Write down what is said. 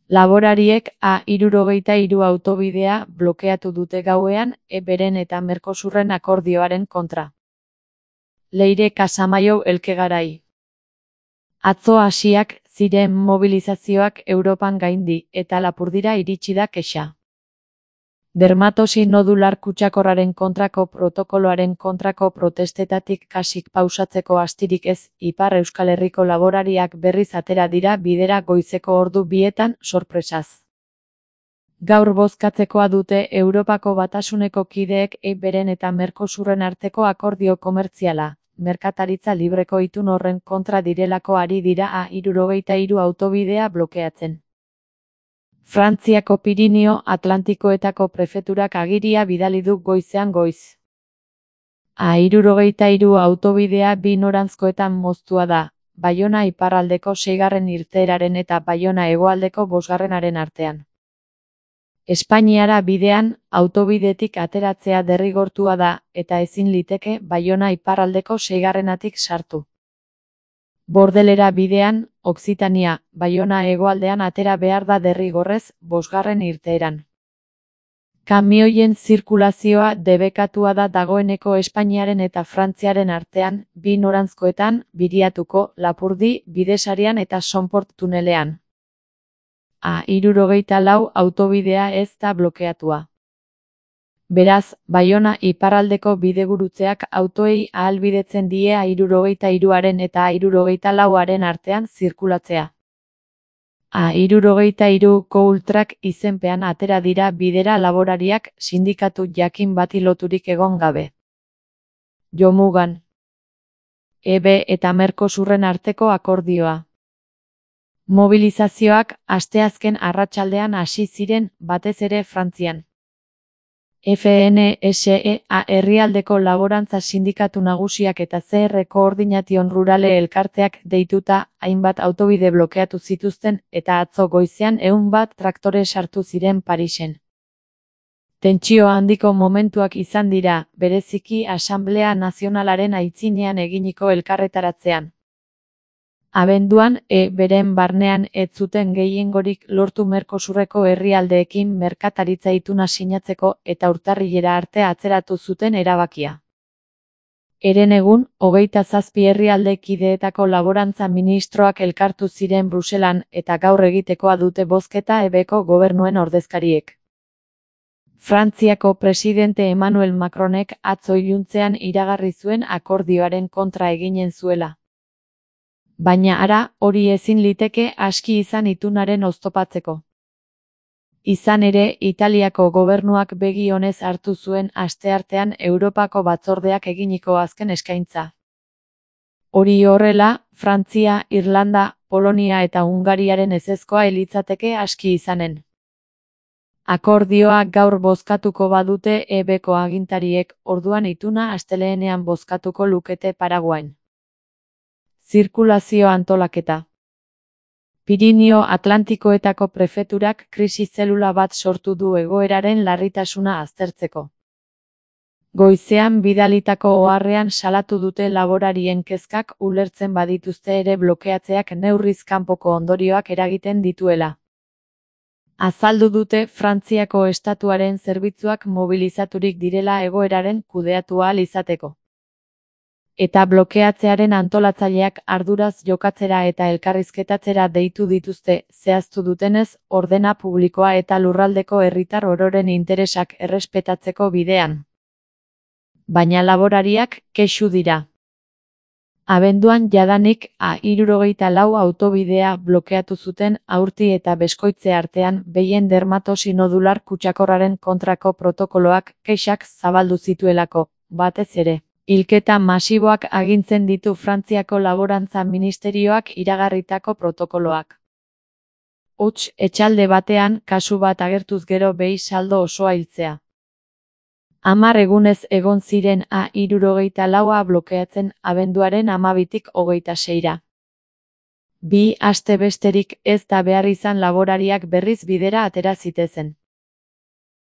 Laborariek A63 autobidea blokeatu dute gauean EBren eta Mercosurren akordioaren kontra. Leire Casamayo Elkegarai. Atzo hasiak ziren mobilizazioak Europan gaindi eta Lapurdira iritsi da kexa. Dermatosi nodular kutsakorraren kontrako protokoloaren kontrako protestetatik kasik pausatzeko astirik ez, Ipar Euskal Herriko laborariak berriz atera dira bidera goizeko ordu 2etan sorpresaz. Gaur bozkatzekoa dute Europako Batasuneko kideek EBren eta Mercosurren arteko akordio komertziala, merkataritza libreko itun horren kontra direlako ari dira A63 autobidea blokeatzen. Frantziako Pirinio Atlantikoetako prefeturak agiria bidali du goizean goiz. A63 autobidea bi noranzkoetan moztua da, Baiona iparraldeko 6. irteeraren eta Baiona hegoaldeko 5. artean. Espainiara bidean, autobidetik ateratzea derrigortua da, eta ezin liteke Baiona iparraldeko 6. sartu. Bordelera bidean, Okzitania, Baiona hegoaldean atera behar da derrigorrez, 5. irteeran. Kamioien zirkulazioa debekatua da dagoeneko Espainiaren eta Frantziaren artean, bi noranzkoetan, Biriatuko, Lapurdi, Bidesarian eta Sonport tunelean. A64 autobidea ez da blokeatua. Beraz, Baiona iparraldeko bidegurutzeak autoei ahalbidetzen die A63aren eta A64aren artean zirkulatzea. A63ko ultrak izenpean atera dira bidera laborariak sindikatu jakin bati loturik egon gabe. Jomugan. EB eta Mercosurren arteko akordioa. Mobilizazioak asteazken arratsaldean hasi ziren, batez ere Frantzian. FNSEA herrialdeko laborantza sindikatu nagusiak eta CR Koordination Rurale elkarteak deituta hainbat autobide blokeatu zituzten eta atzo goizean 100 traktore sartu ziren Parisen. Tentsio handiko momentuak izan dira, bereziki Asanblea Nazionalaren aitzinean eginiko elkarretaratzean. Abenduan, EBren barnean ez zuten gehiengorik lortu Mercosurreko herrialdeekin merkataritza ituna sinatzeko eta urtarrilera arte atzeratu zuten erabakia. Herenegun, 27 herrialde kideetako laborantza ministroak elkartu ziren Bruselan eta gaur egitekoa dute bozketa EBko gobernuen ordezkariek. Frantziako presidente Emmanuel Macronek atzo iluntzean iragarri zuen akordioaren kontra eginen zuela. Baina ara, hori ezin liteke aski izan itunaren oztopatzeko. Izan ere, Italiako gobernuak begi onez hartu zuen asteartean Europako batzordeak eginiko azken eskaintza. Hori horrela, Frantzia, Irlanda, Polonia eta Hungariaren ezezkoa litzateke aski izanen. Akordioa gaur bozkatuko badute EBko agintariek, orduan ituna astelehenean bozkatuko lukete Paraguain. Zirkulazio antolaketa. Pirinio Atlantikoetako prefeturak krisi zelula bat sortu du egoeraren larritasuna aztertzeko. Goizean bidalitako oharrean salatu dute laborarien kezkak ulertzen badituzte ere blokeatzeak neurriz kanpoko ondorioak eragiten dituela. Azaldu dute Frantziako estatuaren zerbitzuak mobilizaturik direla egoeraren kudeatu ahal izateko. Eta blokeatzearen antolatzaileak arduraz jokatzera eta elkarrizketatzera deitu dituzte, zehaztu dutenez, ordena publikoa eta lurraldeko herritar ororen interesak errespetatzeko bidean. Baina laborariak kexu dira. Abenduan jadanik A64 autobidea blokeatu zuten Aurti eta Beskoitze artean behien dermatosi nodular kutsakorraren kontrako protokoloak kexak zabaldu zituelako, batez ere. Hilketa masiboak agintzen ditu Frantziako Laborantza Ministerioak iragarritako protokoloak. Huts, etxalde batean, kasu bat agertuz gero behi saldo osoa hiltzea. 10 egunez egon ziren A64a blokeatzen abenduaren 12tik 26ra. 2 aste besterik ez da behar izan laborariak berriz bidera atera zitezen.